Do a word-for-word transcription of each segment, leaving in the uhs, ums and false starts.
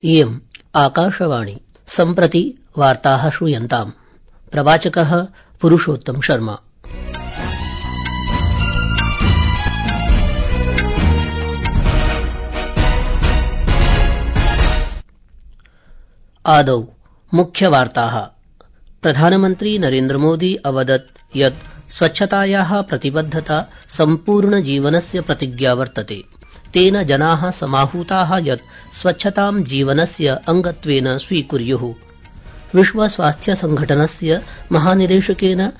इयम् आकाशवाणी सम्प्रति वार्ताः श्रूयन्ताम्। प्रवाचकः पुरुषोत्तम शर्मा। आदौ मुख्यवार्ताः। प्रधानमन्त्री नरेन्द्रमोदी अवदत् यत् स्वच्छतायाः प्रतिबद्धता सम्पूर्णजीवनस्य प्रतिज्ञा वर्तते। तेन जनाः समाहूताः यत् स्वच्छतां जीवनस्य अंगत्वेन स्वीकुर्युः। विश्व स्वास्थ्य संघटनस्य महानिदेशकेन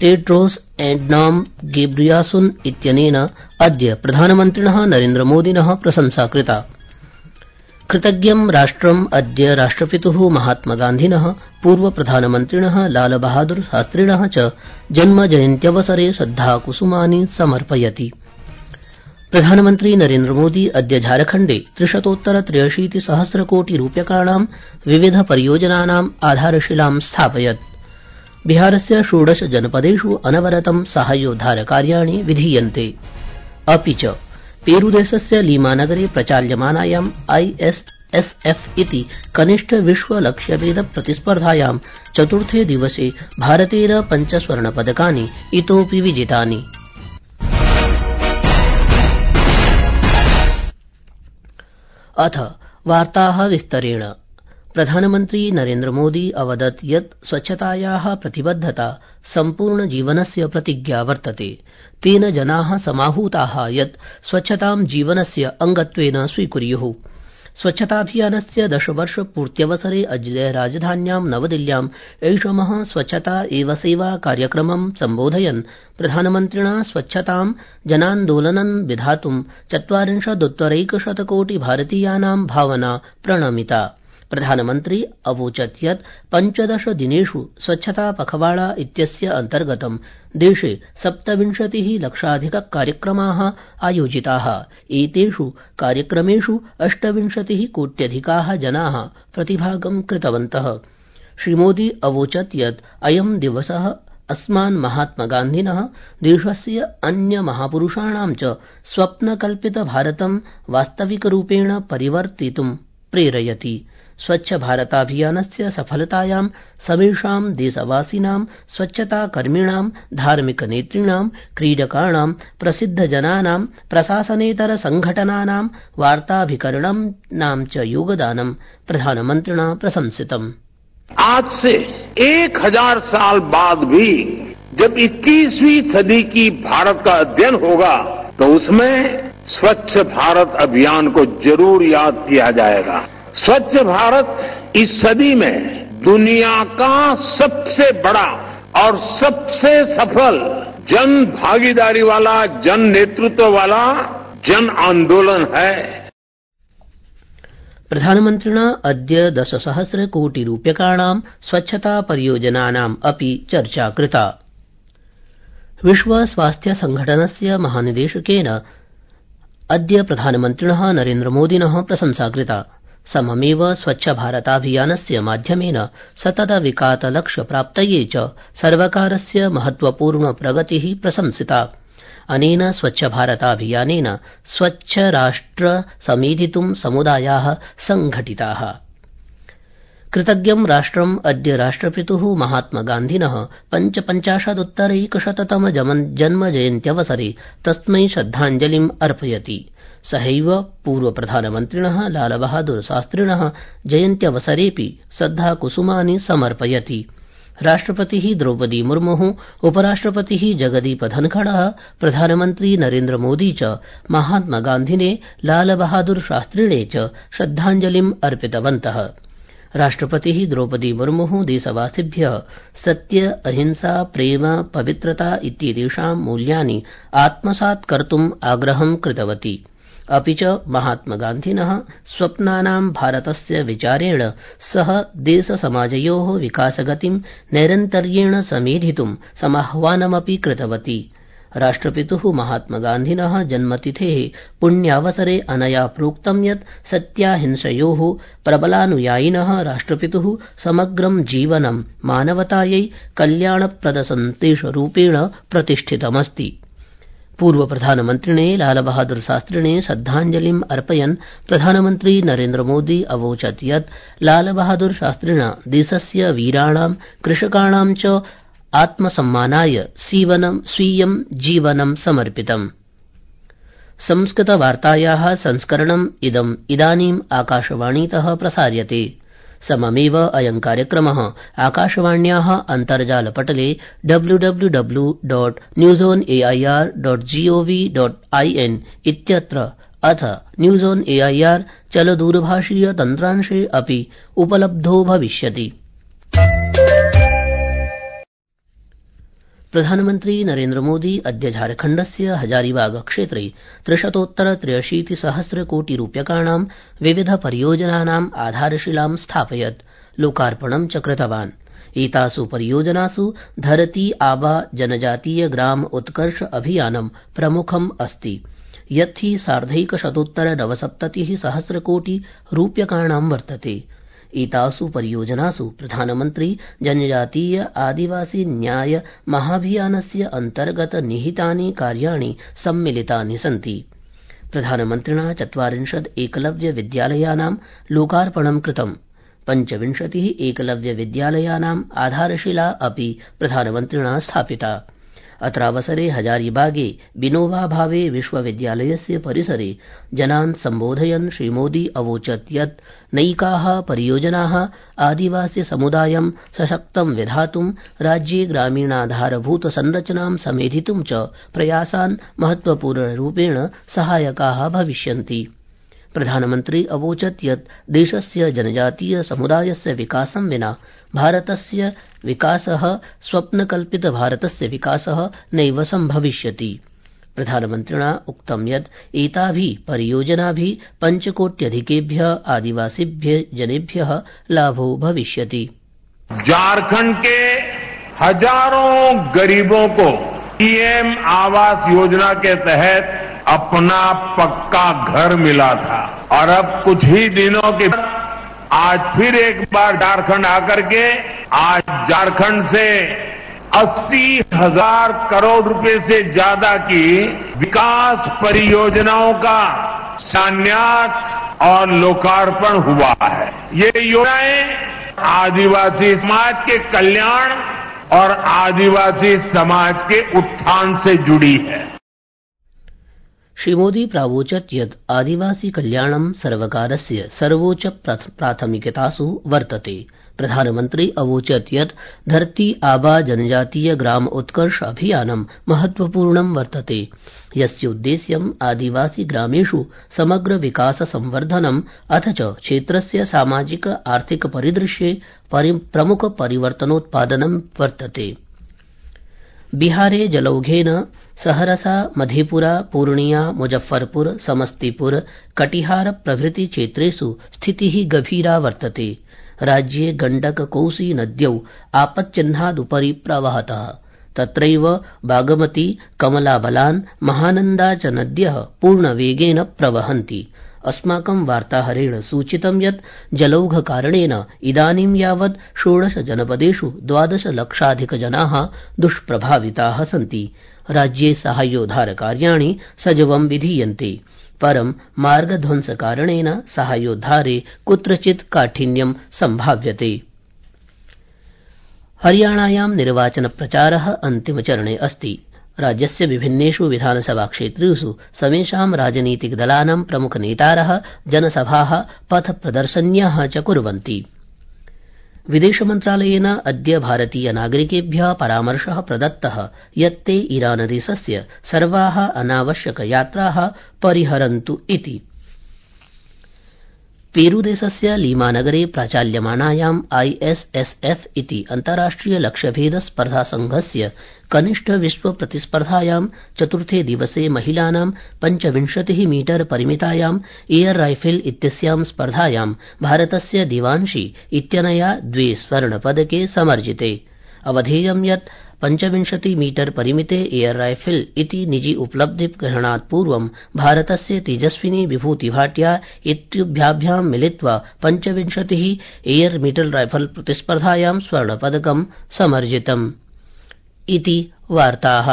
टेड्रोस एडनॉम घेब्रेयेसुस इत्यनेन अद्य प्रधानमन्त्रिणः नरेन्द्रमोदिनः प्रशंसा कृता। कृतज्ञं राष्ट्रम् अद्य राष्ट्रपितुः महात्मगान्धिनः पूर्वप्रधानमन्त्रिणः लालबहादुर शास्त्रिणः च जन्मजयन्त्यवसरे श्रद्धाकुसुमानि समर्पयति। प्रधानमन्त्री नरेन्द्रमोदी अद्य झारखण्डे त्रिशतोत्तर त्र्यशीति सहस्र कोटि रूप्यकाणां विविध परियोजनानाम् आधारशिलां स्थापयत्। बिहारस्य षोडश जनपदेषु अनवरतं साहाय्योद्धारकार्याणि विधीयन्ते। अपि च पेरूदेशस्य लीमानगरे प्रचाल्यमानायाम् आईएसएसएफ इति कनिष्ठ विश्व लक्ष्यभेद प्रतिस्पर्धायां चतुर्थे दिवसे भारतेन पञ्च स्वर्णपदकानि इतोऽपि विजितानि। अथ वार्ताः विस्तरेण। प्रधानमन्त्री नरेन्द्रमोदी अवदत् यत् स्वच्छतायाः प्रतिबद्धता सम्पूर्णजीवनस्य प्रतिज्ञा वर्तते। तेन जनाः समाहूताः यत् स्वच्छतां जीवनस्य अंगत्वेन स्वीकुर्युः। स्वच्छताभियानस्य दशवर्षपूर्त्यवसरे अद्य राजधान्यां नवदिल्ल्याम् ऐषमः स्वच्छता एव सेवा कार्यक्रमं सम्बोधयन् प्रधानमन्त्रिणा स्वच्छतां जनान्दोलनं विधातुं चत्वारिंशदुत्तरैकशतकोटि भारतीयानां भावना प्रणमिता। प्रधानमन्त्री अवोचत् यत् पञ्चदश दिनेषु स्वच्छता पखवाड़ा इत्यस्य अन्तर्गतं देशे सप्तविंशतिः लक्षाधिक कार्यक्रमाः आयोजिताः। एतेषु कार्यक्रमेषु अष्टविंशतिः कोट्यधिकाः जनाः प्रतिभागं कृतवन्तः। श्रीमोदी अवोचत् यत् अयं दिवसः अस्मान् महात्मगान्धिनः देशस्य अन्य महापुरुषाणां च स्वप्नकल्पित भारतं वास्तविकरूपेण परिवर्तितुं प्रेरयति। स्वच्छ भारताभियानस्य सफलतायां समेषां देशवासिनां स्वच्छताकर्मिणां धार्मिकनेतृणां क्रीडकाणां प्रसिद्धजनानां प्रशासनेतर संघटनानां वार्ताभिकरणानां च योगदानं प्रधानमन्त्रिणा प्रशंसितम्। आज से एक हजार साल बाद भी जब इक्कीसवीं सदी की भारत का अध्ययन होगा तो उसमें स्वच्छ भारत अभियान को जरूर याद किया जाएगा। स्वच्छ भारत इस सदी में दुनिया का सबसे बड़ा और सबसे सफल जन भागीदारी वाला, जन नेतृत्व वाला जन आंदोलन है। प्रधानमन्त्रिणा अद्य दशसहस्र कोटि रूप्यकाणां स्वच्छता परियोजनानाम् अपि चर्चा कृता। विश्व स्वास्थ्य संघटनस्य महानिदेशकेन अद्य प्रधानमन्त्रिणः नरेन्द्रमोदिनः प्रशंसा कृता। सममेव स्वच्छ भारताभियानस्य माध्यमेन सतत विकासलक्ष्यप्राप्तये च सर्वकारस्य महत्वपूर्ण प्रगतिः प्रशंसिता। अनेन स्वच्छ भारताभियानेन स्वच्छ राष्ट्र समेधितुं समुदायाः संघटिताः। कृतज्ञं राष्ट्रम् अद्य राष्ट्रपितुः महात्मगान्धिनः पञ्चपञ्चाशदुत्तरैकशततम जन्मजयन्त्यवसरे तस्मै श्रद्धाञ्जलिम् अर्पयति। सहैव पूर्वप्रधानमन्त्रिणः लालबहादुर शास्त्रिणः जयन्त्यवसरेऽपि श्रद्धाकुसुमानि समर्पयति। राष्ट्रपतिः द्रौपदी मुर्मुः, उपराष्ट्रपतिः जगदीप धनखड़ः, प्रधानमन्त्री नरेन्द्रमोदी च महात्मगान्धिने लालबहादुर शास्त्रिणे च श्रद्धाञ्जलिम् अर्पितवन्तः। राष्ट्रपतिः द्रौपदी मुर्मुः देशवासिभ्यः सत्य, अहिंसा, प्रेम, पवित्रता इत्येतेषां मूल्यानि आत्मसात् कर्तुम् आग्रहं कृतवती। अपि च महात्मगान्धिनः स्वप्नानां भारतस्य विचारेण सह देशसमाजयोः विकासगतिं नैरन्तर्येण समेधितुं समाह्वानमपि कृतवती। राष्ट्रपितुः महात्मगान्धिनः जन्मतिथेः पुण्यावसरे अनया प्रोक्तं यत् सत्याहिंसयोः प्रबलानुयायिनः राष्ट्रपितुः समग्रं जीवनं मानवतायै कल्याणप्रदसन्देशरूपेण प्रतिष्ठितमस्ति। पूर्व प्रधानमन्त्रिणे लालबहादुर शास्त्रिणे श्रद्धाञ्जलिम् अर्पयन् प्रधानमन्त्री नरेन्द्रमोदी अवोचत् यत् लालबहादुर शास्त्रिणा देशस्य वीराणां कृषकाणां च आत्मसम्मानाय स्वीयं जीवनं समर्पितम्। संस्कृतवार्तायाः संस्करणम् इदम् इदानीम् आकाशवाणीतः प्रसार्यते। सममेव अयं कार्यक्रमः आकाशवाण्याः अन्तर्जालपटले W W W dot news on AIR dot GOV dot IN इत्यत्र अथ न्यूज़ ऑन एआईआर चलदूरभाषीय तन्त्रांशे अपि उपलब्धो भविष्यति। प्रधानमन्त्री नरेन्द्रमोदी अद्य झारखण्डस्य हजारीबाग क्षेत्रे त्रिशतोत्तर त्र्यशीति सहस्र कोटि रूप्यकाणां विविध परियोजनानाम् आधारशिलां स्थापयत् लोकार्पणं च कृतवान्। एतासु परियोजनासु धरती आबा जनजातीय ग्राम उत्कर्ष अभियानं प्रमुखम् अस्ति, यत् हि सार्धैकशतोत्तर नवसप्ततिः सहस्र कोटि रूप्यकाणां वर्तते। एतासु परियोजनासु प्रधानमन्त्री जनजातीय आदिवासी न्याय महाभियानस्य अन्तर्गत निहितानि कार्याणि सम्मिलितानि सन्ति। प्रधानमन्त्रिणा चत्वारिंशत् एकलव्य विद्यालयानां लोकार्पणं कृतम्। पञ्चविंशतिः एकलव्य विद्यालयानाम् आधारशिला अपि प्रधानमन्त्रिणा स्थापिता। अत्रावसरे हजारीबागे विनोबा भावे विश्वविद्यालयस्य परिसरे जनान् सम्बोधयन् श्रीमोदी अवोचत् यत् नैकाः परियोजनाः आदिवासी समुदायं सशक्तं विधातुं राज्ये ग्रामीणाधारभूत संरचनां समेधितुं च प्रयासान् महत्वपूर्णरूपेण सहायकाः भविष्यन्ति। प्रधानमन्त्री अवोचत् यत् देशस्य जनजातीय समुदायस्य विकासं विना भारतस्य विकासः स्वप्नकल्पित भारतस्य विकासः नैव सम्भविष्यति। प्रधानमन्त्रिणा उक्तं यत् एताभिः परियोजनाभिः पञ्चकोट्यधिकेभ्यः आदिवासिभ्यः जनेभ्यः लाभो भविष्यति। झारखंड के हजारों गरीबों को पीएम आवास योजना के तहत अपना पक्का घर मिला था और अब कुछ ही दिनों के बाद आज फिर एक बार झारखंड आकर के आज झारखंड से अस्सी हजार करोड़ रुपए से ज्यादा की विकास परियोजनाओं का शिलान्यास और लोकार्पण हुआ है। ये योजनाएं आदिवासी समाज के कल्याण और आदिवासी समाज के उत्थान से जुड़ी है। श्रीमोदी प्रावोचत् यत् आदिवासी कल्याणं सर्वकारस्य सर्वोच्च प्राथमिकतासु वर्तते। प्रधानमन्त्री अवोचत् यत् धरती आबा जनजातीय ग्राम उत्कर्ष अभियानं महत्वपूर्णं वर्तते, यस्य उद्देश्यम् आदिवासी ग्रामेषु समग्र विकास संवर्धनम् अथ च क्षेत्रस्य सामाजिक आर्थिक परिदृश्ये प्रमुख परिवर्तनोत्पादनं वर्तते। बिहारे जलौघेन सहरसा मधेपुरा पूर्णिया मुजफ्फरपुर समस्तीपुर कटिहार प्रभृति क्षेत्रेषु स्थितिः गभीरा वर्तते। राज्ये गण्डक कोसी नद्यौ आपच्चिह्नादुपरि प्रवहतः। तत्रैव बागमती कमलाबलान् महानन्दा च नद्यः पूर्णवेगेन प्रवहन्ति। अस्माकं वार्ताहरेण सूचितं यत् जलौघकारणेन इदानीं यावत् षोडश जनपदेषु द्वादश लक्षाधिक जनाः दुष्प्रभाविताः सन्ति। राज्ये साहाय्योद्धारकार्याणि सजवं विधीयन्ते, परं मार्गध्वंसकारणेन साहाय्योद्धारे कुत्रचित् काठिन्यं सम्भाव्यते। हरियाणायां निर्वाचनप्रचारः अन्तिमचरणे अस्ति। राज्यस्य विभिन्नेषु विधानसभाक्षेत्रेषु समेषां राजनीतिकदलानां प्रमुखनेतारः जनसभाः पथप्रदर्शन्यः च कुर्वन्ति। विदेशमन्त्रालयेन अद्य भारतीय नागरिकेभ्यः परामर्शः प्रदत्तः यत् ते ईरानदेशस्य सर्वाः अनावश्यक यात्राः परिहरन्तु इति। पेरूदेशस्य लीमानगरे प्राचाल्यमानायाम् आईएसएसएफ इति अन्ताराष्ट्रिय लक्ष्यभेद स्पर्धा संघस्य कनिष्ठ विश्व प्रतिस्पर्धायां चतुर्थे दिवसे महिलानां पञ्चविंशतिः मीटर परिमितायां एयर राइफल इत्यस्यां स्पर्धायां भारतस्य दिवांशी इत्यनया द्वे स्वर्णपदके समर्जिते। अवधेयं यत् पञ्चविंशति मीटर परिमिते एयर राइफल इति निजी उपलब्धि ग्रहणात् पूर्वं भारतस्य तेजस्विनी विभूति भाटिया इत्युभ्याभ्यां मिलित्वा पञ्चविंशतिः एयर मीटर राइफल प्रतिस्पर्धायां स्वर्णपदकं समर्जितम् इति वार्ताः।